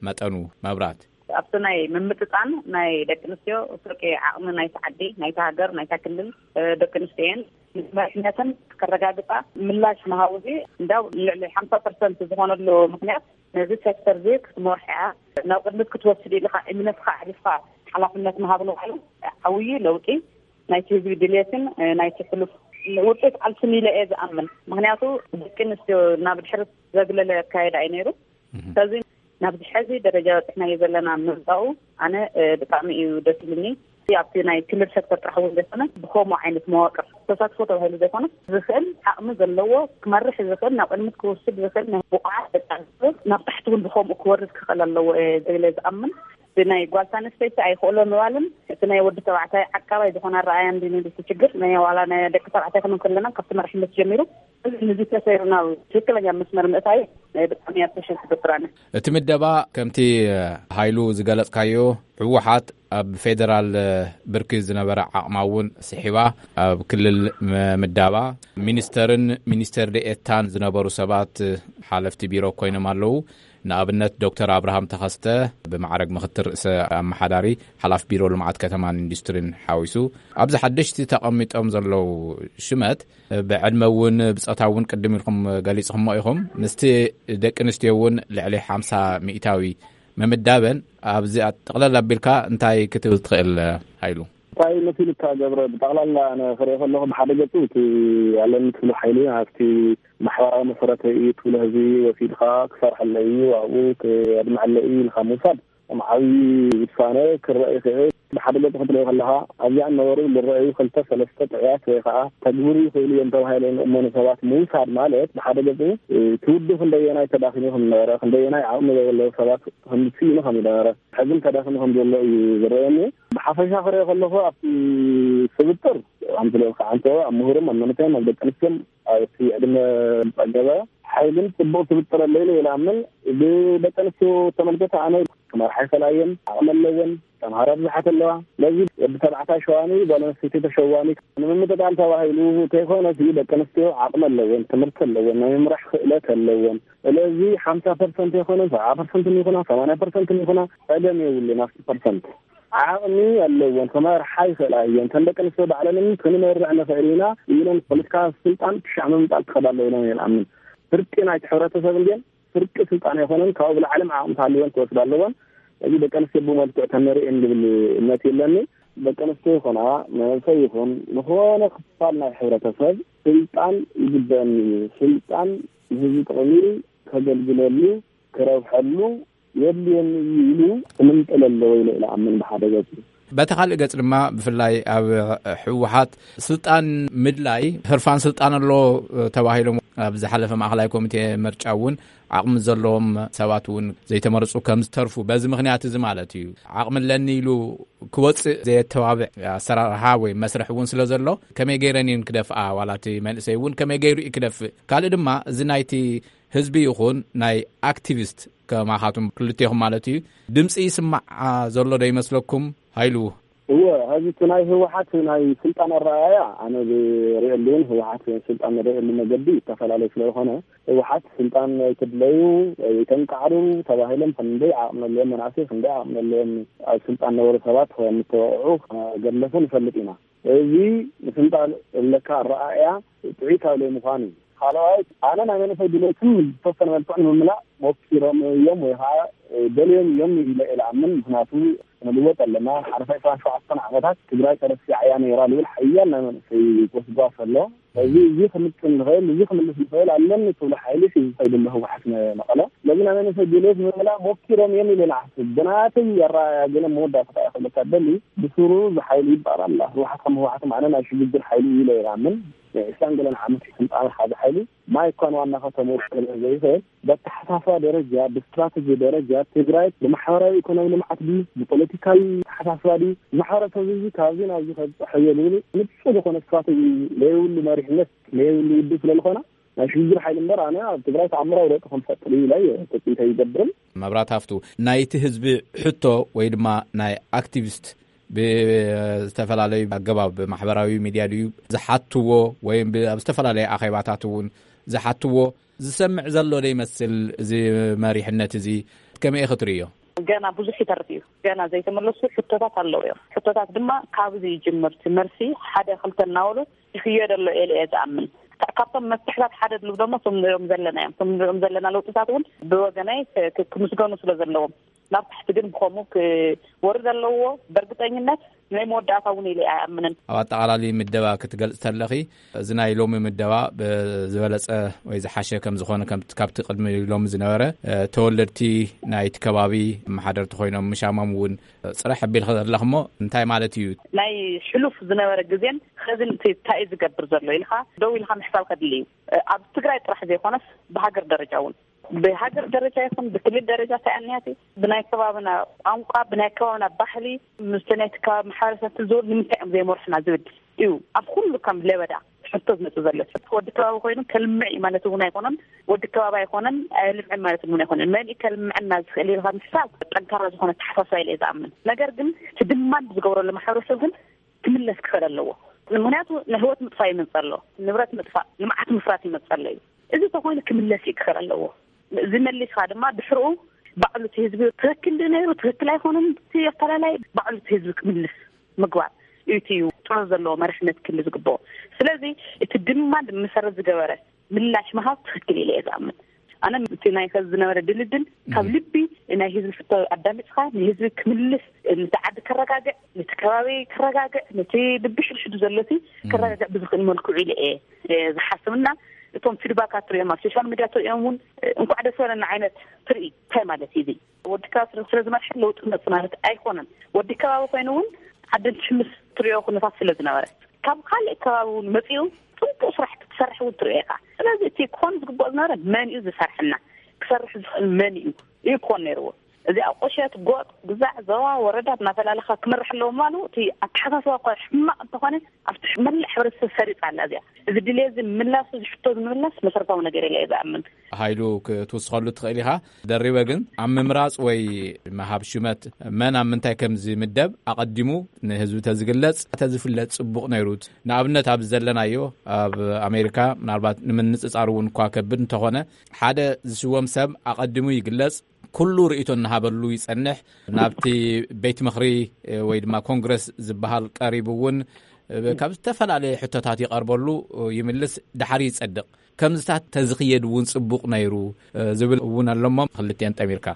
መጠኑ መብራት ኣብቲ ናይ ምምጥጣን ናይ ደቂ ኣንስትዮ ፍርቂ ዓቕሚ ናይቲ ዓዲ፣ ናይቲ ሃገር፣ ናይታ ክልል ደቂ ኣንስትዮ እየን። ንመሪሕነትን ከረጋግፃ ምላሽ ምሃቡ እዚ እንዳው ልዕሊ ሓምሳ ፐርሰንት ዝኾነሉ ምክንያት ነዚ ሴክተር እዚ ክትመርሖ እያ፣ ናብ ቅድሚት ክትወስድ ኢልካ እምነትካ ኣዕሪፍካ ሓላፍነት ምሃብ ንባዕሉ ዓብዪ ለውጢ ናይቲ ህዝቢ ድሌትን ናይቲ ሕሉፍ ውፅኢት ቃልስን ኢለ እየ ዝኣምን። ምክንያቱ ደቂ ኣንስትዮ ናብ ድሕሪት ዘግለለ ኣካየዳ እዩ ነይሩ። ስለዚ ናብዚ ሕዚ ደረጃ በፂሕናዮ ዘለና ምምፃኡ ኣነ ብጣዕሚ እዩ ደስ ኢሉኒ። ኣብቲ ናይ ክልል ሴክተር ጥራሕ እውን ዘይኮነ ብከምኡ ዓይነት መዋቅር ተሳትፎ ተባሂሉ ዘይኮነ ዝኽእል ዓቕሚ ዘለዎ ክመርሕ ዝኽእል ናብ ቅድሚት ክወስድ ዝኽእል ናይ ብቑዓት ደቂ ኣንስትዮ ናብ ታሕቲ እውን ብከምኡ ክወርድ ክኽእል ኣለዎ እየ ኢለ ዝኣምን። ብናይ ጓል ኣንስተይቲ ኣይኽእሎ ምባልን እቲ ናይ ወዲ ተባዕታይ ዓቃባይ ዝኾነ ኣረኣእያ እንዲ ንልቲ ችግር ናይ ዋላ ናይ ደቂ ተባዕታይ ክንብል ከለና ካብቲ መራሕነት ጀሚሩ እዚ ንዚ ተሰይሩ ናብ ትክክለኛ መስመር ምእታይ ናይ ብጣዕሚ ኣፕሪሼት ዝገብር ኣነ። እቲ ምደባ ከምቲ ሃይሉ ዝገለጽካዮ ህወሓት ኣብ ፌደራል ብርኪ ዝነበረ ዓቕማ እውን ስሒባ ኣብ ክልል ምምዳባ ሚኒስተርን ሚኒስተር ደኤታን ዝነበሩ ሰባት ሓለፍቲ ቢሮ ኮይኖም ኣለዉ። ንኣብነት ዶክተር ኣብርሃም ተኸስተ ብማዕረግ ምኽትል ርእሰ ኣመሓዳሪ ሓላፍ ቢሮ ልምዓት ከተማን ኢንዱስትሪን ሓዊሱ ኣብዚ ሓደሽቲ ተቐሚጦም ዘለዉ ሽመት ብዕድመ እውን ብፆታ እውን ቅድም ኢልኩም ገሊፅኹሞ ኢኹም። ምስቲ ደቂ ኣንስትዮ እውን ልዕሊ ሓምሳ ሚእታዊ ምምዳበን ኣብዚ ጠቕለል ኣቢልካ እንታይ ክትብል ትኽእል ሃይሉ? እንታይ መሲሉካ ገብረ? ብጠቕላላ ኣነ ክሪኦ ከለኹ ብሓደ ገፁ እቲ ኣለኒ ትብሎ ሓይሊ ኣብቲ ማሕበራዊ መሰረተ እዩ ትብሎ ህዝቢ ወሲድካ ክሰርሐለ እዩ ኣብኡ ክየድምዐለ እዩ ኢልካ ምውሳድ ከም ዓብዪ ውሳነ ክረአ ይኽእል። ብሓደ ገፅ ክትሪኦ ከለኻ ኣብዚኣ እነበሩ ዝረአዩ ክልተ ሰለስተ ጥዑያት ወይ ከዓ ተግብሩ ይኽእሉ እዮም ተባሂሎም ዝእመኑ ሰባት ምውሳድ ማለት ብሓደ ገፅ እቲ ውድብ ክንደየናይ ተዳኺሙ ከም ዝነበረ ክንደየናይ ዓቕሚ ዘይብለዉ ሰባት ከም ዝስኢኑ ከም ዝነበረ ሕዝን ተዳኺሙ ከም ዘሎ እዩ ዝረአየኒ። ብሓፈሻ ክሪኦ ከለኹ ኣብቲ ስብጥር ኣምስለ ከዓ እንተ ኣብ ምሁርም ኣብ መንእሰይን ኣብ ደቂ ኣንስትዮን ኣብቲ ዕድመ ዝፀገበ ሓይልን ፅቡቕ ስብጥር ኣሎ ኢለ ይኣምን። ብደቂ ኣንስትዮ ተመልከተ ኣነ ክመርሓ ይኽእላ እየን፣ ዓቕሚ ኣለወን፣ ተምሃራ ብዙሓት ኣለዋ። ስለዚ ወዲ ተባዕታይ ሸዋኒ ጓል ኣንስተይቲ ተሸዋኒ ንምምጥጣል ተባሂሉ ከይኮነ ደቂ ኣንስትዮ ዓቕሚ ኣለወን፣ ትምህርቲ ኣለወን፣ ናይ ምምራሕ ክእለት ኣለወን። ስለዚ ሓምሳ ፐርሰንት ይኹና ሰብዓ ፐርሰንት ይኹና ሰማንያ ፐርሰንት ይኹና ፀገም የብሉን ኣብቲ ፐርሰንት ዓቕሚ ኣለወን ክመርሓ ይኽእላ እየን። ከም ደቂ ኣንስትዮ ባዕለን ክንመርሕ ንኽእል ኢና ኢለን ፖለቲካ ስልጣን ክሻዕ ምምጣል ክኸዳ ኣለዎ ኢለን እየ ዝኣምን። ፍርቂ ናይቲ ሕብረተሰብ እንድየን ፍርቂ ስልጣን ኣይኮነን ካብኡ ብላዕሊ ዓቕሚ ክሃልወን ክወስዳ ኣለወን። እዚ ደቂ ኣንስትዮ ብመልክዕ ተመሪኤን ዝብል እምነት የለኒ። ደቂ ኣንስትዮ ይኹና መንእሰይ ይኹን ዝኾነ ክፋል ናይ ሕብረተሰብ ስልጣን ይግበአኒ እዩ። ስልጣን ንህዝቢ ጥቕሚ ከገልግለሉ ክረብሐሉ የድልየኒ እዩ ኢሉ ክምንጥል ኣለዎ ኢለ ኢለ ኣምን ብሓደ ገፁ። በቲ ካልእ ገፅ ድማ ብፍላይ ኣብ ህወሓት ስልጣን ምድላይ ህርፋን ስልጣን ኣሎ ተባሂሎም ኣብ ዝሓለፈ ማእኸላይ ኮሚቴ ምርጫ እውን ዓቕሚ ዘለዎም ሰባት እውን ዘይተመረፁ ከም ዝተርፉ በዚ ምክንያት እዚ ማለት እዩ ዓቕሚ ኣለኒ ኢሉ ክወፅእ ዘየተባብዕ ኣሰራርሓ ወይ መስርሕ እውን ስለ ዘሎ ከመይ ገይረን እየን ክደፍኣ ዋላ እቲ መንእሰይ እውን ከመይ ገይሩ እዩ ክደፍእ ካልእ ድማ እዚ ናይቲ ህዝቢ ይኹን ናይ ኣክቲቪስት ከማኻቱም ክልቴኹም ማለት እዩ ድምፂ ይስማዕ ዘሎ ዶ ይመስለኩም? ሃይሉ። እወ፣ ሕዚ እቲ ናይ ህወሓት ናይ ስልጣን ኣረኣእያ ኣነ ዝርእየሉ እውን ህወሓት ስልጣን ንርእየሉ መገዲ ይተፈላለዩ ስለዝኾነ ህወሓት ስልጣን ኣይትድለዩ ኣይተንቃዕሩ ተባሂሎም ክንደይ ዓቕሚ ኣለዎም መናእሰይ ክንደይ ዓቕሚ ኣለዎም ኣብ ስልጣን ነበሩ ሰባት ምተወቕዑ ገድለፉ ንፈልጥ ኢና። እዚ ንስልጣን እለካ ኣረኣእያ ጥዑይ ካብ ዘይምዃን እዩ። ካልኣይ ኣነ ናይ መንእሰይ ድሌትን ዝተወሰነ መልክዑ ንምምላእ ሞኪሮም እዮም ወይ ከዓ ደልዮም እዮም ኢለ እየ ዝኣምን። ምክንያቱ ክንልወጥ ኣለና። ሓለፋይ ዕስራን ሸውዓተን ዓመታት ትግራይ ተረሲዓያ ነይራ ዝብል ሓያል ናይ መንእሰይ ጎስጓስ ኣሎ። እዚ፣ እዚ ክምጥን ንኽእል፣ እዚ ክምልስ ንኽእል ኣለኒ ትብሎ ሓይሊ ዝኸይድ ኣሎ ህወሓት መቐለ። ስለዚ ናይ መንእሰይ ድሌት ምምላእ ሞኪሮም እዮም ኢለ ንሓስብ። ብናተይ ኣረኣእያ ግን መወዳእታ እንታይ ክብለካ ደሊ፣ ብስሩ እዚ ሓይሊ ይበሃል ኣላ። ህወሓት ከም ህወሓት ማዕነ ናይ ሽግግር ሓይሊ እዩ ኢለ ይኣምን። ዕስራን ገለን ዓመት ስልጣን ሓዚ ሓይሊ ማይ እኳ ንዋና ከተምኡ ክብል ዘይኽእል፣ በተሓሳስባ ደረጃ፣ ብስትራተጂ ደረጃ ትግራይ ብማሕበራዊ ኢኮኖሚ ልምዓት ድዩ፣ ብፖለቲካዊ ተሓሳስባ ድዩ፣ ማሕበረሰብ እዚ ካብዚ ናብዚ ከብፅሖ እየ ዝብል ንፁር ዝኾነ ስትራተጂ ለየብሉ መሪሕነት ለየብሉ ውድብ ስለ ዝኾነ ናይ ሽግግር ሓይሊ እምበር ኣነ ኣብ ትግራይ ተኣምራዊ ለውጢ ከምፈጥር እዩ ኢለ ትፅቢት ኣይገብርን። መብራት ሃፍቱ፣ ናይቲ ህዝቢ ሕቶ ወይ ድማ ናይ ኣክቲቪስት ብዝተፈላለዩ ኣገባብ ማሕበራዊ ሚድያ ድዩ ዝሓትዎ ወይም ብ-፣ ኣብ ዝተፈላለዩ ኣኼባታት እውን ዝሓትዎ ዝሰምዕ ዘሎ ዶ ይመስል? እዚ መሪሕነት እዚ ከመይ ክትርእዮ? ገና ብዙሕ ይተርፍ እዩ። ገና ዘይተመለሱ ሕቶታት ኣለዉ እዮም። ሕቶታት ድማ ካብዚ ይጅምር። እቲ መልሲ ሓደ ክልተ እናበሉ ይኽየድ ኣሎ ኢለ እየ ዝኣምን። ካ-፣ ካብቶም መፍትሕታት ሓደ ድሉ ደሞ እቶም ንሪኦም ዘለና እዮም። እቶም ንሪኦም ዘለና ለውጥታት እውን ብወገናይ ክ-፣ ክ-፣ ክምስገኑ ስለ ዘለዎም፣ ናብ ታሕቲ ግን ብኸምኡ ክወርድ ኣለዎ። በእርግጠኝነት ናይ መወዳእታ እውን ኢለ ኣይኣምንን። ኣብ ኣጠቓላሊ ምደባ ክትገልጽ ተለኺ፣ እዚ ናይ ሎሚ ምደባ ብዝበለጸ ወይ ዝሓሸ ከም ዝኾነ፣ ከም ካብቲ ቅድሚ ሎሚ ዝነበረ፣ እ፣ ተወለድቲ ናይቲ ከባቢ መሓደርቲ ኮይኖም ምሻሞም እውን ጽርሕ ኣቢልኺ ዘለኽሞ እንታይ ማለት እዩ? ናይ ሕሉፍ ዝነበረ ግዜን ኸዚ እንታይ እዩ ዝገብር ዘሎ ኢልኻ ደው ኢልኻ ምሕሳብ ከድሊ እዩ። እ፣ ኣብ ትግራይ ጥራሕ ዘይኮነስ ብሃገር ደረጃ እውን፣ ብሃገር ደረጃ ይኹን ብክልል ደረጃ እንታይ ኣንያት ብናይ ከባብና ቋንቋ፣ ብናይ ከባብና ባህሊ፣ ምስቲ ናይቲ ከባቢ ማሕበረሰብ ትዝውር ንምንታይ እዮም ዘይመርሑና ዝብል እዩ ኣብ ኩሉ ከም ለበዳ ሕቶ ዝመጽእ ዘሎ። ወዲ ከባቢ ኮይኑ ከልምዕ እዩ ማለት እውን ኣይኮነን። ወዲ ከባቢ ኣይኮነን፣ ኣየልምዕን ማለት እውን ኣይኮነን። መን እዩ ከልምዐና ዝኽእል ኢልካ ምሕሳብ ጠንካራ ዝኾነ ኣተሓሳስባ ኢለ እየ ዝኣምን። ነገር ግን እቲ ድማንድ ዝገብረሉ ማሕበረሰብ ግን ክምለስ ክኽእል ኣለዎ። ምኽንያቱ ንህይወት ምጥፋእ ይመጽእ ኣሎ፣ ንብረት ምጥፋእ፣ ልምዓት ምፍራት ይመጽእ ኣሎ እዩ። እዚ ተኾይኑ ክምለስ እዩ ክኽእል ኣለዎ። እዚ መሊስካ ድማ ድሕርኡ ባዕሉ እቲ ህዝቢ ትኽክል ድዩ ነይሩ፣ ትኽክል ኣይኮነን፣ እቲ ኣፈላላይ ባዕሉ እቲ ህዝቢ ክምልስ ምግባር እዩ እቲ እዩ ጥሮ ዘለዎ መሪሕነት ክህሉ ዝግብኦ። ስለዚ እቲ ድማ መሰረት ዝገበረ ምላሽ ምሃብ ትኽክል ኢለ እየ ዝኣምን። ኣነ እቲ ናይ ከዚ ዝነበረ ድልድል ካብ ልቢ ናይ ህዝቢ ሕቶ ኣዳሚፅካ ንህዝቢ ክምልስ፣ ነቲ ዓዲ ከረጋግዕ፣ ነቲ ከባቢ ከረጋግዕ፣ ነቲ ብብሽድሽዱ ዘሎ ሲ ከረጋግዕ ብዝኽእል መልክዑ ኢለ እየ፣ እየ ዝሓስብ። እና እቶም ፊድባካት ትሪኦም ኣብ ሶሻል ሚድያ ትሪኦም እውን እንኳዕ ደስ በለና ዓይነት ትርኢ እንታይ ማለት እዩ እዚ? ወዲ ከባቢ ስለ፣ ስለ ዝመርሐ ለውጢ መጽእ ማለት ኣይኮነን። ወዲ ከባቢ ኮይኑ እውን ዓዲ እንትሕምስ ትሪኦ ኩነታት ስለ ዝነበረ ካብ ካልእ ከባቢ እውን መጺኡ ጽቡቕ ስራሕ ክትሰርሕ እውን ትሪኦ ኢኻ። ስለዚ እቲ ክኾን ዝግብኦ ዝነበረ መን እዩ ዝሰርሐና? ክሰርሕ ዝኽእል መን እዩ? እዩ ክኾን ነይርዎ። እዚ ኣብ ቁሸት፣ ጎጥ፣ ግዛዕ፣ ዞባ፣ ወረዳ እናፈላለኻ ክመርሕ ኣለዎ ምባሉ እቲ ኣተሓሳስባ እኳ ሕማቕ እንተኾነ ኣብቲ መላእ ሕብረተሰብ ሰሪጻ ኣላ እዚኣ። እዚ ድልየት እዚ ምላሱ፣ እዚ ሕቶ እዚ ምምላስ መሰረታዊ ነገር ኢለ እየ ዝኣምን። ሃይሉ ክትውስኸሉ ትኽእል ኢኻ። ደሪበ ግን ኣብ ምምራጽ ወይ ምሃብ ሹመት መን ኣብ ምንታይ ከም ዝምደብ ኣቐዲሙ ንህዝቢ ተዝግለጽ፣ ተዝፍለጥ ጽቡቕ ነይሩት። ንኣብነት ኣብዚ ዘለናዮ ኣብ ኣሜሪካ ምናልባት ንምንጽጻር እውን እኳ ከብድ እንተኾነ ሓደ ዝሽወም ሰብ ኣቐዲሙ ይግለጽ፣ ኩሉ ርእይቶ እናሃበሉ ይጸንሕ። ናብቲ ቤት ምኽሪ ወይ ድማ ኮንግረስ ዝበሃል ቀሪቡ እውን ካብ ዝተፈላለየ ሕቶታት ይቐርበሉ ይምልስ፣ ድሓር ይጸድቕ። ከምዝታት ተዝኽየድ እውን ጽቡቕ ነይሩ ዝብል እውን ኣለሞ። ክልቲኤን ጠሚርካ።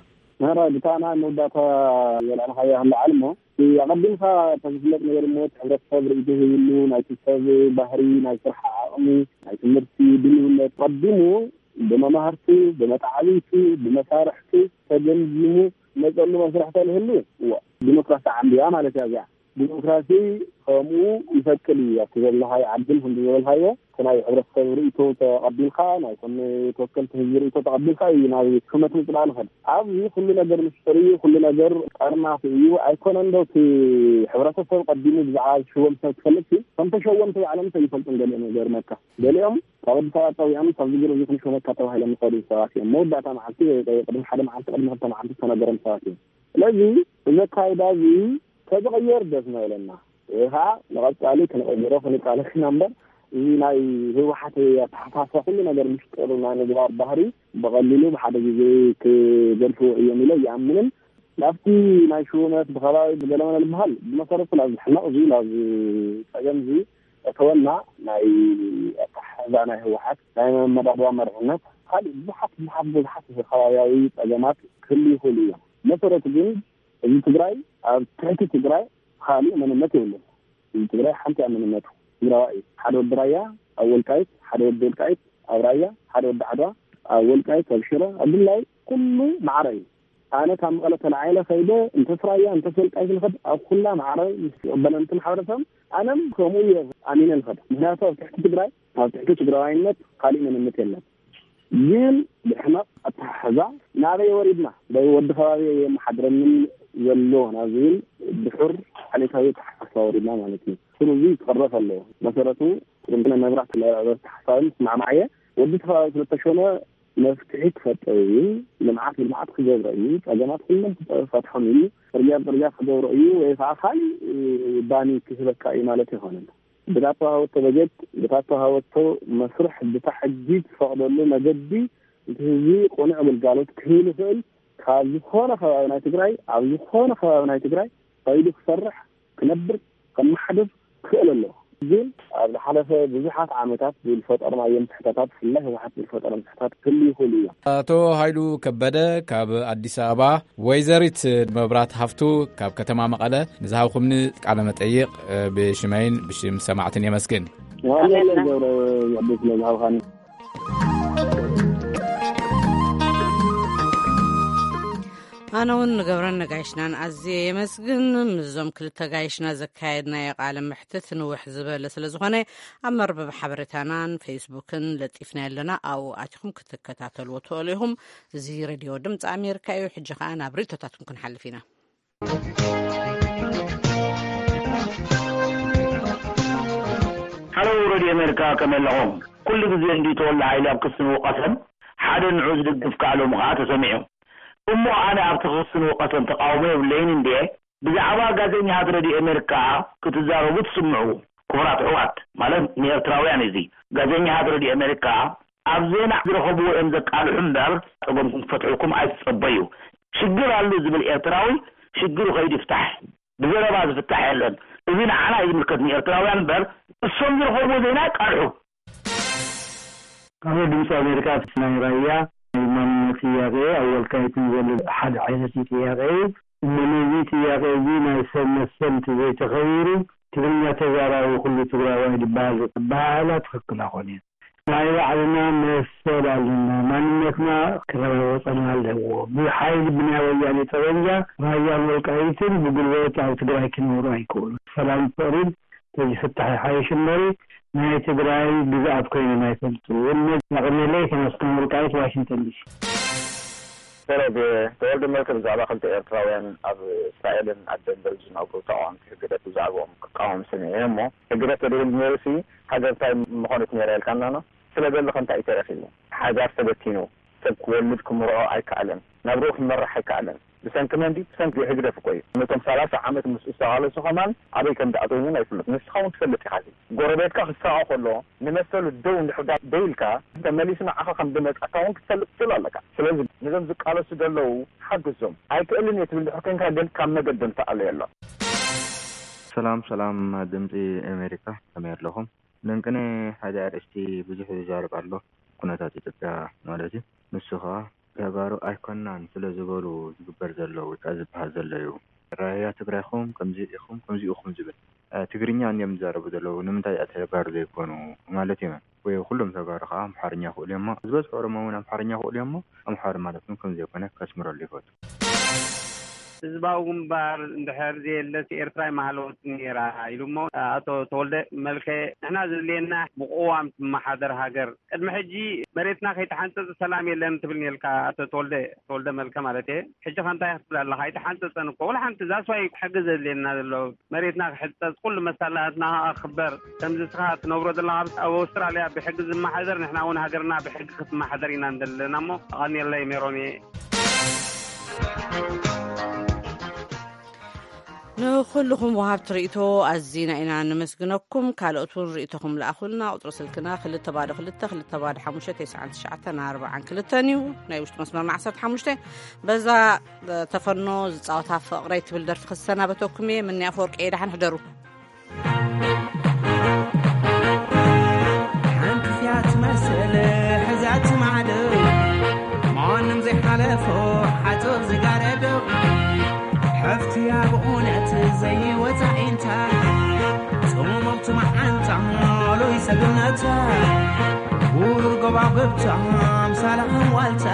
ናራ ብታና መወዳእታ ዘልዓልካዮ ኣለዓል እሞ፣ ኣቐዲምካ ተዝፍለጥ ነገር እሞ፣ እቲ ሕብረተሰብ ርእይቶ ሂብሉ፣ ናይቲ ሰብ ባህሪ፣ ናይ ስራሕ ዓቕሚ፣ ናይ ትምህርቲ ድልውነት ቀዲሙ ብመማህርቱ፣ ብመተዓብይቱ፣ ብመሳርሕቱ ተገምጊሙ መጸሉ መስርሕ ተልህሉ፣ እወ፣ ዲሞክራሲ ዓንድያ ማለት እያ እዚኣ። ዲሞክራሲ ከምኡ ይፈቅድ እዩ። ኣብቲ ዘለኻዮ ዓድን ክንዲ ዝበልካዮ፣ እቲ ናይ ሕብረተሰብ ርእይቶ ተቐቢልካ፣ ናይ ኮነ ተወከልቲ ህዝቢ ርእይቶ ተቐቢልካ እዩ ናብ ሹመት ምጽዳቕ ንኸድ። ኣብዚ ኩሉ ነገር ምስጢር እዩ፣ ኩሉ ነገር ጠርናፊ እዩ። ኣይኮነን ዶ እቲ ሕብረተሰብ ቀዲሙ ብዛዕባ ዝሽወም ሰብ ክፈልጥ እዩ? ከም ተሸወምቲ ባዕሎም እንተ ይፈልጡን ገሊኦም ይገርመካ። ገሊኦም ካብ ኣዲስ ኣበባ ጸዊዖም ካብዚ ገለ እዚ ክንሽወመካ ተባሂሎም ዝኸዱ ሰባት እዮም። መወዳእታ መዓልቲ ወይ ቅድሚ ሓደ መዓልቲ፣ ቅድሚ ክልተ መዓልቲ ዝተነገሮም ሰባት እዮም። ስለዚ እዚ ኣካይዳ እዚ ተዝቕየር ደስ ምበለና። ወይ ከዓ ንቐጻሊ ክንቕይሮ ክንቃለስ ኢና እምበር፣ እዚ ናይ ህወሓት ኣተሓሳስባ ኩሉ ነገር ምስጢር ናይ ምግባር ባህሪ ብቐሊሉ ብሓደ ግዜ ክገድፍዎ እዮም ኢለ ይኣምንን። ናብቲ ናይ ሽውመት ብኸባቢ ብገለመለ ዝበሃል ብመሰረቱ ናብዚ ሕማቕ እዚ ናብዚ ጸገም እዚ እተወና ናይ ኣተሓሕዛ ናይ ህወሓት ናይ መመዳድባ መሪሕነት ካልእ ብዙሓት ብዙሓት ብዙሓት ከባብያዊ ጸገማት ክህሉ ይኽእሉ እዮም። መሰረቱ ግን እዚ ትግራይ ኣብ ትሕቲ ትግራይ ካሊእ መንነት የብሉን። እዚ ትግራይ ሓንቲ እያ መንነቱ። ትግራዋይ እዩ። ሓደ ወዲ ራያ ኣብ ወልቃይት፣ ሓደ ወዲ ወልቃይት ኣብ ራያ፣ ሓደ ወዲ ዓድዋ ኣብ ወልቃይት፣ ኣብ ሽረ፣ ኣብ ድላይ ኩሉ ማዕረ እዩ። ኣነ ካብ መቐለ ተላዒለ ከይደ እንተስ ራያ እንተስ ወልቃይት ንኸድ ኣብ ኩላ ማዕረ ምስ ዝቕበለኒ እቲ ማሕበረሰብ ኣነም ከምኡ እየ ኣሚነ ንኸድ። ምክንያቱ ኣብ ትሕቲ ትግራይ፣ ኣብ ትሕቲ ትግራዋይነት ካሊእ መንነት የለን። ግን ብሕመቕ ኣተሓሕዛ ናበይ ወሪድና? ዶ ወዲ ከባቢ የመሓድረንን ዘሎ ናብ ዝብል ድሑር ዓሌታዊ ኣተሓሳስባ ወሪድና ማለት እዩ። ስሩ እዚ ክቕረፍ ኣለዎ። መሰረቱ ቅድምነ መብራት ለዕበርቲ ሓሳብን ስማዕማዕየ ወዲ ከባቢ ስለተሾመ መፍትሒ ክፈጥር እዩ። ልምዓት ብልምዓት ክገብሮ እዩ። ጸገማት ኩሎም ክፈትሖም እዩ። ጽርግያ ብጽርግያ ክገብሮ እዩ ወይ ከዓ ካሊእ ባኒ ክህበካ እዩ ማለት ኣይኮነን። ብታ ተዋሃበቶ በጀት፣ ብታ ተዋሃበቶ መስርሕ፣ ብታ ሕጊ ትፈቕደሉ መገዲ እቲ ህዝቢ ቅኑዕ ግልጋሎት ክህብ ይኽእል። ካብ ዝኾነ ከባቢ ናይ ትግራይ፣ ኣብ ዝኾነ ከባቢ ናይ ትግራይ ከይዱ ክሰርሕ፣ ክነብር፣ ከመሓድር ክኽእል ኣለዎ። ግን ኣብ ዝሓለፈ ብዙሓት ዓመታት ዝፈጠርናዮም ስሕተታት፣ ብፍላይ ህወሓት ዝፈጠሮም ስሕተታት ክህልዩ ይኽእሉ እዮም። ኣቶ ሃይሉ ከበደ ካብ ኣዲስ ኣበባ፣ ወይዘሪት መብራት ሃፍቱ ካብ ከተማ መቐለ ንዝሃብኩምኒ ቃለ መጠይቕ ብሽመይን ብሽም ሰማዕትን የመስግን። ዋንጀለን ገብረ ዘዕቤ ስለ ዝሃብካኒ። ኣነ እውን ንገብረን ነጋይሽናን ኣዝየ የመስግን። ምስዞም ክልተ ጋይሽና ዘካየድናዮ ቃለ መሕትት ንውሕ ዝበለ ስለ ዝኾነ ኣብ መርበብ ሓበሬታናን ፌስቡክን ለጢፍና ኣለና። ኣብኡ ኣቲኹም ክትከታተልዎ ትኽእሉ ኢኹም። እዚ ሬድዮ ድምፂ ኣሜሪካ እዩ። ሕጂ ኸዓ ናብ ርእቶታትኩም ክንሓልፍ ኢና። ሃሎ ሬድዮ ኣሜሪካ፣ ከመይ ኣለኹም? ኩሉ ግዜ እንዲ ተወልደ ሓይሊ ኣብ ክሲ ንውቀሰን ሓደ ንዑ ዝድግፍ ከኣሎም ከኣ ተሰሚዑ። እሞ ኣነ ኣብቲ ክሲ ንውቀሰን ተቃውሞ የብለይን እንድየ። ብዛዕባ ጋዜጠኛታት ሬድዮ ኣሜሪካ ክትዛረቡ ትስምዑ። ክቡራት ኣሕዋት፣ ማለት ንኤርትራውያን እዚ ጋዜጠኛታት ሬድዮ ኣሜሪካ ኣብ ዜና ዝረኸብዎ እዮም ዘቃልሑ እምበር ጸገምኩም ክፈትሑልኩም ኣይትጸበዩ። ሽግር ኣሉ ዝብል ኤርትራዊ ሽግሩ ከይዱ ይፍታሕ። ብዘረባ ዝፍታሕ የለን። እዚ ንዓና እዩ ዝምልከት ንኤርትራውያን እምበር እሶም ዝረኸብዎ ዜና ይቃልሑ። ካብ ድምፂ ኣሜሪካ ናይ ራያ ናይ ማንነት ጥያቄ ኣብ ወልቃይትን ዘሎ ሓደ ዓይነት እዩ ጥያቄ እዩ። እሞ ነዚ ጥያቄ እዚ ናይ ሰብ መሰል እንተዘይተኸቢሩ ትግርኛ ተዛራቢ ኩሉ ትግራዋይ ዝበሃል ኣበሃህላ ትኽክል ኣይኮነን። ናይ ባዕልና መሰል ኣለና። ማንነትና ክረጋገፀልና ኣለዎ። ብሓይሊ ብናይ ወያኔ ጠበንጃ ራያን ወልቃይትን ብጉልበት ኣብ ትግራይ ክነብሩ ኣይክእሉ። ሰላም ፍቕሪን ተዝፍታሕ ይሓይሽ እምበሪ ናይ ትግራይ ግዝኣት ኮይኖም ኣይፈልጡ። ውልነት የቕንየለይ። ተመስገን ወልቃይት ዋሽንግተን ዲሲ። ሰላም ተወልደ መልከ ብዛዕባ ክልተ ኤርትራውያን ኣብ እስራኤልን ኣብ ደንቨር ዝነብሩ ተቃወምቲ ህግደፍ ብዛዕባኦም ክቃወም ሰሚዐ እሞ ህግደፍ ተደልዩ ነይሩሲ ሃገር እንታይ ምኾነት ነይራ ኢልካና ኖ? ስለ ዘለኸ እንታይ እዩ ተረኺቡ? ሓዳር ተበቲኑ፣ ሰብ ክወልድ ክምርዖ ኣይከኣለን፣ ናብርኡ ክመርሕ ኣይከኣለን። ብሰንኪ መን ድዩ? ብሰንኪ ህግደፍ እኮ እዩ። ነቶም ሰላሳ ዓመት ምስኡ ዝተቓለሱ ከማን ኣበይ ከም ዝኣተዉ እውን ኣይፍለጥ። ንስኻ እውን ትፈልጥ ኢኻ። ጎረቤትካ ክሳቐ ከሎ ንመሰሉ ደው እንድሕር ደይልካ ተመሊሱ ንዓኻ ከም ዝመጻካ እውን ክትፈልጥ ትኽእል ኣለካ። ስለዚ ነዞም ዝቃለሱ ዘለዉ ሓግዞም። ኣይክእልን እየ ትብል ድሕር ኮንካ ግን ካብ መገዶም ተኣለየሎም። ሰላም ሰላም ድምፂ ኣሜሪካ ከመይ ኣለኹም? ለንቅነ ሓደ ኣርእስቲ ብዙሕ ይዛረብ ኣሎ፣ ኩነታት ኢትዮጵያ ማለት እዩ። ንሱ ኸዓ ተጋሩ ኣይኮናን ስለ ዝበሉ ዝግበር ዘሎ ወይ ከዓ ዝበሃል ዘሎ እዩ። ራያ ትግራይኹም ከምዚ ኢኹም ከምዚ ኢኹም ዝብል ትግርኛ እንዲዮም ዝዛረቡ ዘለዉ። ንምንታይ ተጋሩ ዘይኮኑ ማለት እዮም? ወይ ኩሎም ተጋሩ ከዓ ኣምሓርኛ ክእሉ እዮሞ ዝበዝሑ ኦሮሞ እውን ኣምሓርኛ ክእሉ እዮሞ ኣምሓሩ ማለት እውን ከምዘይኮነ ከስምረሉ ይፈቱ። ህዝባዊ ግንባር እንድሕር ዘየለስ ኤርትራ ኣይምሃለወትን ነይራ ኢሉ እሞ ኣቶ ተወልደ መልከ ንሕና ዘድልየና ብቅዋም ትመሓደር ሃገር ቅድሚ ሕጂ መሬትና ከይተሓንፀፀ ሰላም የለን ትብል ነርካ ኣቶ ተወልደ ተወልደ መልከ ማለት እየ ሕጂ ከ እንታይ ክትብል ኣለካ ኣይተሓንፀፀን እኮ ወላ ሓንቲ that's why ሕጊ ዘድልየና ዘሎ መሬትና ክሕፀፅ ኩሉ መሳላትና ክበር ከምዚ ስኻ ትነብሮ ዘለካ ኣብ ኣውስትራልያ ብሕጊ ዝመሓደር ንሕና እውን ሃገርና ብሕጊ ክትመሓደር ኢና ንደሊ ዘለና እሞ ኣቐንየለይ ሜሮን እየ። ንኹልኹም ወሃብቲ ርእይቶ ኣዚና ኢና ነመስግነኩም። ካልኦት እውን ርእይቶኹም ለኣኹልና። ቁጽሪ ስልክና ክልተ ባዶ ክልተ ክልተ ባዶ ሓሙሽተ ተስዓን ትሽዓተን ኣርባዓን ክልተን እዩ። ናይ ውሽጢ መስመርና ዓሰርተ ሓሙሽተ። በዛ ተፈኖ ዝጻወታ ፍቕረይ ትብል ደርፊ ክሰናበተኩም እየ። ምንያ ኣፈወርቂ እየ። ደሓን ሕደሩ። ሓንቲ እያ ትመስል ሕዛት ማዕዶ ማንም ዘይሓለፎ ሓጹር ዝጋረዶ ሰግነታ ውር ጎባብብታ ኣምሳላ ዋልታ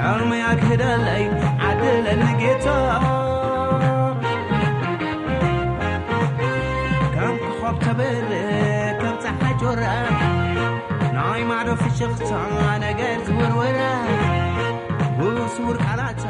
ሕልመይ ኣግህደለይ ዓድለኒ ጌታ። ከም ኮኾብ ተብርህ ከም ፀሓይ ጆራ ናይ ማዶ ፍሽኽታ ነገር ዝውርውራ ብስውር ቃላታ